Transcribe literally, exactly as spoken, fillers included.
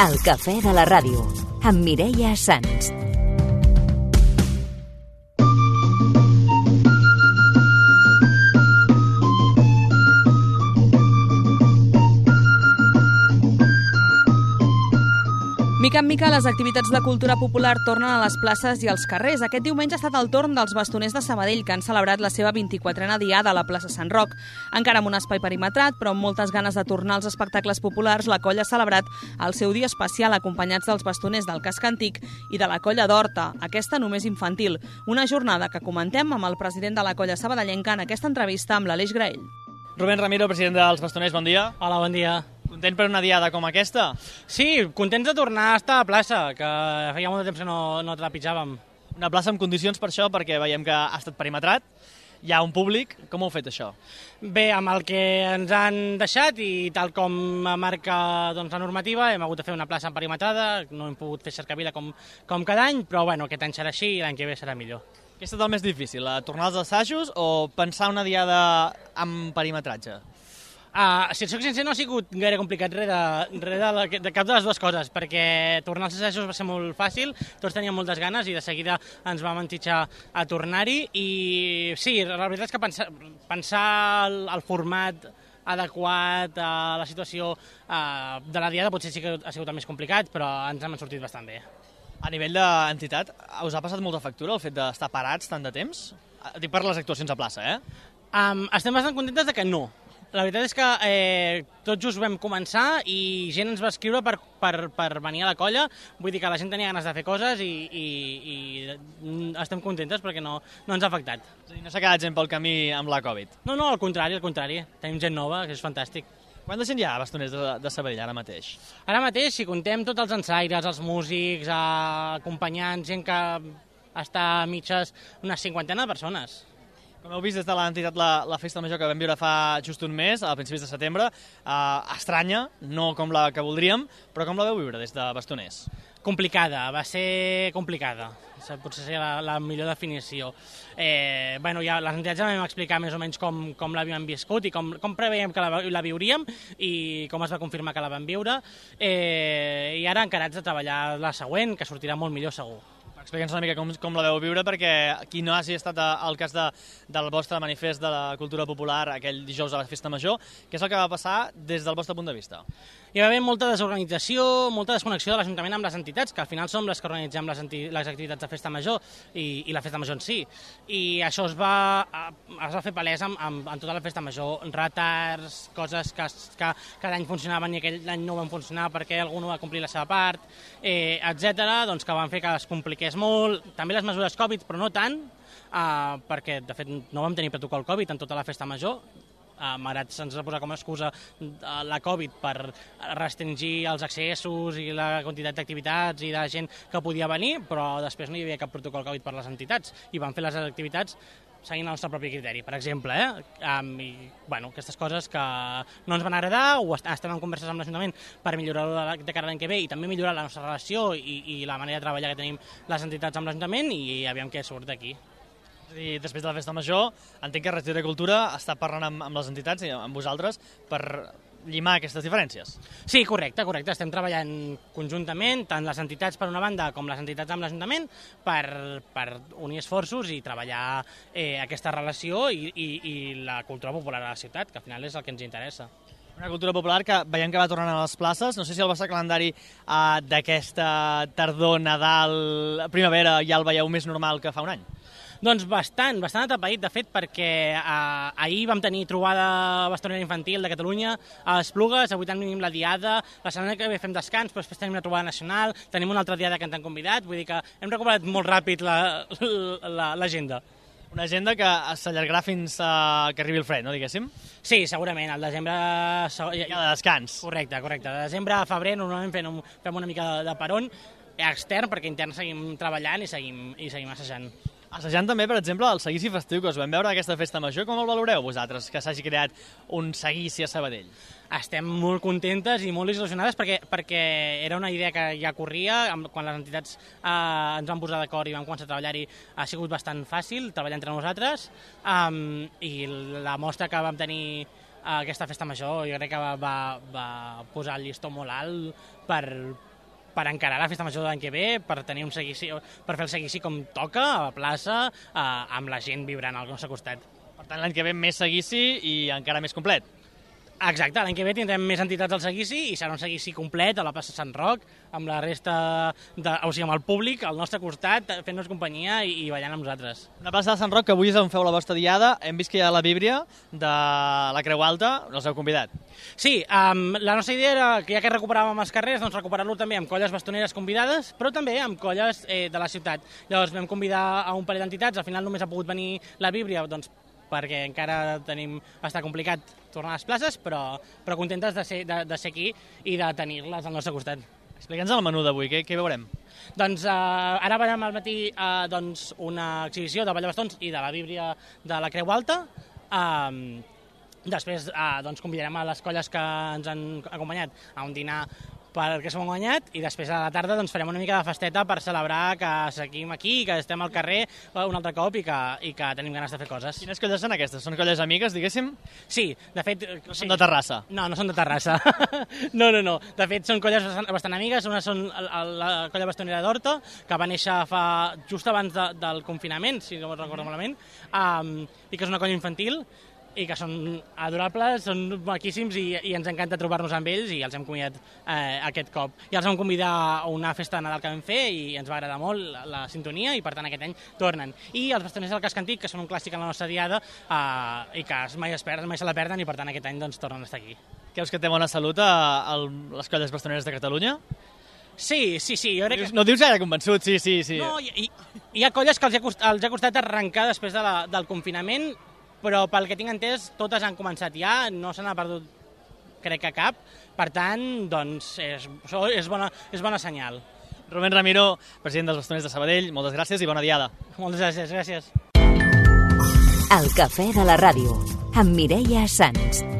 El cafè de la ràdio, amb Mireia Sans. Mica en mica, les activitats de cultura popular tornen a les places i als carrers. Aquest diumenge ha estat el torn dels bastoners de Sabadell, que han celebrat la seva vint-i-quatrena diada a la plaça Sant Roc. Encara amb un espai perimetrat, però amb moltes ganes de tornar als espectacles populars, la colla ha celebrat el seu dia especial acompanyats dels bastoners del Casc Antic i de la colla d'Horta, aquesta només infantil. Una jornada que comentem amb el president de la colla sabadellenca en aquesta entrevista amb l'Aleix Graell. Rubén Ramiro, president dels bastoners, bon dia. Hola, bon dia. Content per una diada com aquesta? Sí, contents de tornar a estar a plaça, que feia molt de temps que no, no trepitjàvem. Una plaça amb condicions per això, perquè veiem que ha estat perimetrat, hi ha un públic. Com heu fet això? Bé, amb el que ens han deixat i tal com marca doncs, la normativa, hem hagut de fer una plaça perimetrada, no hem pogut fer cercavila com, com cada any, però bueno, aquest any serà així i l'any que ve serà millor. Què ha estat el més difícil, tornar als assajos o pensar una diada amb perimetratge? Uh, si et soc sincer, no ha sigut gaire complicat res, de, res de, la, de cap de les dues coses, perquè tornar als assajos va ser molt fàcil, tots teníem moltes ganes i de seguida ens vam entitjar a tornar-hi i sí, la veritat és que pensar, pensar el, el format adequat a la situació uh, de la diada potser sí que ha sigut el més complicat, però ens hem sortit bastant bé. A nivell d'entitat, us ha passat molta factura el fet d'estar parats tant de temps? Dic per les actuacions a plaça, eh? Um, estem bastant contentes de que no. La veritat és que eh, tot just vam començar i gent ens va escriure per, per, per venir a la colla, vull dir que la gent tenia ganes de fer coses i, i, i estem contentes perquè no, no ens ha afectat. És a dir, no s'ha quedat gent pel camí amb la Covid? No, no, al contrari, al contrari. Tenim gent nova, que és fantàstic. Quanta gent hi ha a bastoners de, de Sabadell ara mateix? Ara mateix, si contem tots els ensaires, els músics, eh, acompanyants, gent que està a mitges, una cinquantena de persones. Com heu vist des de l'entitat la, la festa major que vam viure fa just un mes, a principis de setembre, eh, estranya, no com la que voldríem, però com la veu viure des de bastoners? Complicada, va ser complicada, potser seria la, la millor definició. Eh, bueno, ja, les entitats ja vam explicar més o menys com, com l'havíem viscut i com, com preveiem que la, la viuríem i com es va confirmar que la vam viure, eh, i ara encarats de treballar la següent, que sortirà molt millor segur. Explica'ns una mica com, com la veu viure, perquè qui no hagi estat al cas de, del vostre manifest de la cultura popular aquell dijous a la festa major, què és el que va passar des del vostre punt de vista? Hi va haver molta desorganització, molta desconnexió de l'Ajuntament amb les entitats, que al final som les que organitzem les, les activitats de festa major i, i la festa major en si. I això es va, es va fer palès amb, amb, amb tota la festa major, retards, coses que, que cada any funcionaven i aquell any no van funcionar perquè algú no va complir la seva part, eh, etcètera, doncs que van fer que es compliqués molt. També les mesures Covid, però no tant, eh, perquè de fet no vam tenir protocol Covid en tota la festa major. Uh, malgrat se'ns va posar com a excusa uh, la Covid per restringir els accessos i la quantitat d'activitats i de gent que podia venir, però després no hi havia cap protocol Covid per les entitats i van fer les activitats seguint el nostre propi criteri, per exemple. Eh? Um, i, bueno, aquestes coses que no ens van agradar, o est estem en converses amb l'Ajuntament per millorar-ho de, de cara a l'any que ve i també millorar la nostra relació i, i la manera de treballar que tenim les entitats amb l'Ajuntament i aviam què surt d'aquí. I després de la festa major, entenc que Regidor de Cultura està parlant amb, amb les entitats i amb vosaltres per llimar aquestes diferències. Sí, correcte, correcte. Estem treballant conjuntament, tant les entitats per una banda com les entitats amb l'Ajuntament, per, per unir esforços i treballar eh, aquesta relació i, i, i la cultura popular a la ciutat, que al final és el que ens interessa. Una cultura popular que veiem que va tornant a les places. No sé si el vostre calendari eh, d'aquesta tardor, Nadal, primavera ja el veieu més normal que fa un any. Doncs bastant, bastant atapeït, de fet, perquè eh, ahir vam tenir trobada bastonera infantil de Catalunya a Esplugues, avui tenim la diada, la setmana que ve fem descans, però després tenim una trobada nacional, tenim una altra diada que ens han convidat, vull dir que hem recuperat molt ràpid l'agenda. La, una agenda que s'allargarà fins a que arribi el fred, no, diguéssim? Sí, segurament, al desembre... Hi ha de descans. Correcte, correcte. De desembre a febrer normalment fem, un, fem una mica de, de peron extern, perquè intern seguim treballant i seguim, i seguim assajant. Assajant també, per exemple, el seguici festiu que us vam veure aquesta festa major. Com el valoreu vosaltres, que s'hagi creat un seguici a Sabadell? Estem molt contentes i molt il·lusionades perquè, perquè era una idea que ja corria, quan les entitats eh, ens vam posar d'acord i vam començar a treballar-hi ha sigut bastant fàcil treballar entre nosaltres, um, i la mostra que vam tenir aquesta festa major jo crec que va, va, va posar el llistó molt alt per, per encarar la festa major de l'any que ve, per tenir un seguici, per fer el seguici com toca, a la plaça, eh, amb la gent vibrant al nostre costat. Per tant, l'any que ve més seguici i encara més complet. Exacte, l'any que ve tindrem més entitats al seguici i serà un seguici complet a la plaça Sant Roc, amb la resta, de, o sigui, amb el públic al nostre costat, fent-nos companyia i, i ballant amb nosaltres. Una plaça de Sant Roc que avui és on feu la vostra diada. Hem vist que hi ha la víbria de la Creu Alta, els heu convidat. Sí, um, la nostra idea era que ja que recuperàvem els carrers, doncs recuperar-lo també amb colles bastoneres convidades, però també amb colles eh, de la ciutat. Llavors vam convidar a un parell d'entitats, al final només ha pogut venir la víbria, doncs perquè encara tenim, està complicat tornar a les places, però, però contentes de ser, de, de ser aquí i de tenir-les al nostre costat. Explica'ns el menú d'avui, què, què veurem? Doncs eh, ara veurem al matí eh, doncs, una exhibició de ball de bastons i de la víbria de la Creu Alta. Eh, després eh, doncs, convidarem a les colles que ens han acompanyat a un dinar perquè s'ho han guanyat, i després a la tarda doncs, farem una mica de festeta per celebrar que seguim aquí, que estem al carrer un altre cop i que, i que tenim ganes de fer coses. Quines colles són aquestes? Són colles amigues, diguéssim? Sí, de fet... No sí. són de Terrassa? No, no són de Terrassa. no, no, no. De fet, són colles bastant, bastant amigues. Una són la, la colla bastonera d'Horta, que va néixer fa just abans de, del confinament, si no recordo malament, um, i que és una colla infantil, i que són adorables, són maquíssims i, i ens encanta trobar-nos amb ells i els hem convidat eh, aquest cop. I els vam convidar a una festa de Nadal que vam fer i ens va agradar molt la, la sintonia i per tant aquest any tornen. I els bastoners del casc antic, que són un clàssic en la nostra diada eh, i que mai es perden, mai se la perden i per tant aquest any doncs, tornen a estar aquí. Creus que té bona salut a, a les colles bastoneres de Catalunya? Sí, sí, sí. Jo crec que... No dius gaire convençut, sí, sí, sí. No, hi, hi, hi ha colles que els ha costat, els ha costat arrencar després de la, del confinament, però pel que tinc entès, totes han començat ja, no se n'ha perdut, crec que cap, per tant, doncs, és, és, bona, és bona senyal. Rubén Ramiro, president dels Bastoners de Sabadell, moltes gràcies i bona diada. Moltes gràcies, gràcies. El cafè de la ràdio, amb Mireia Sans.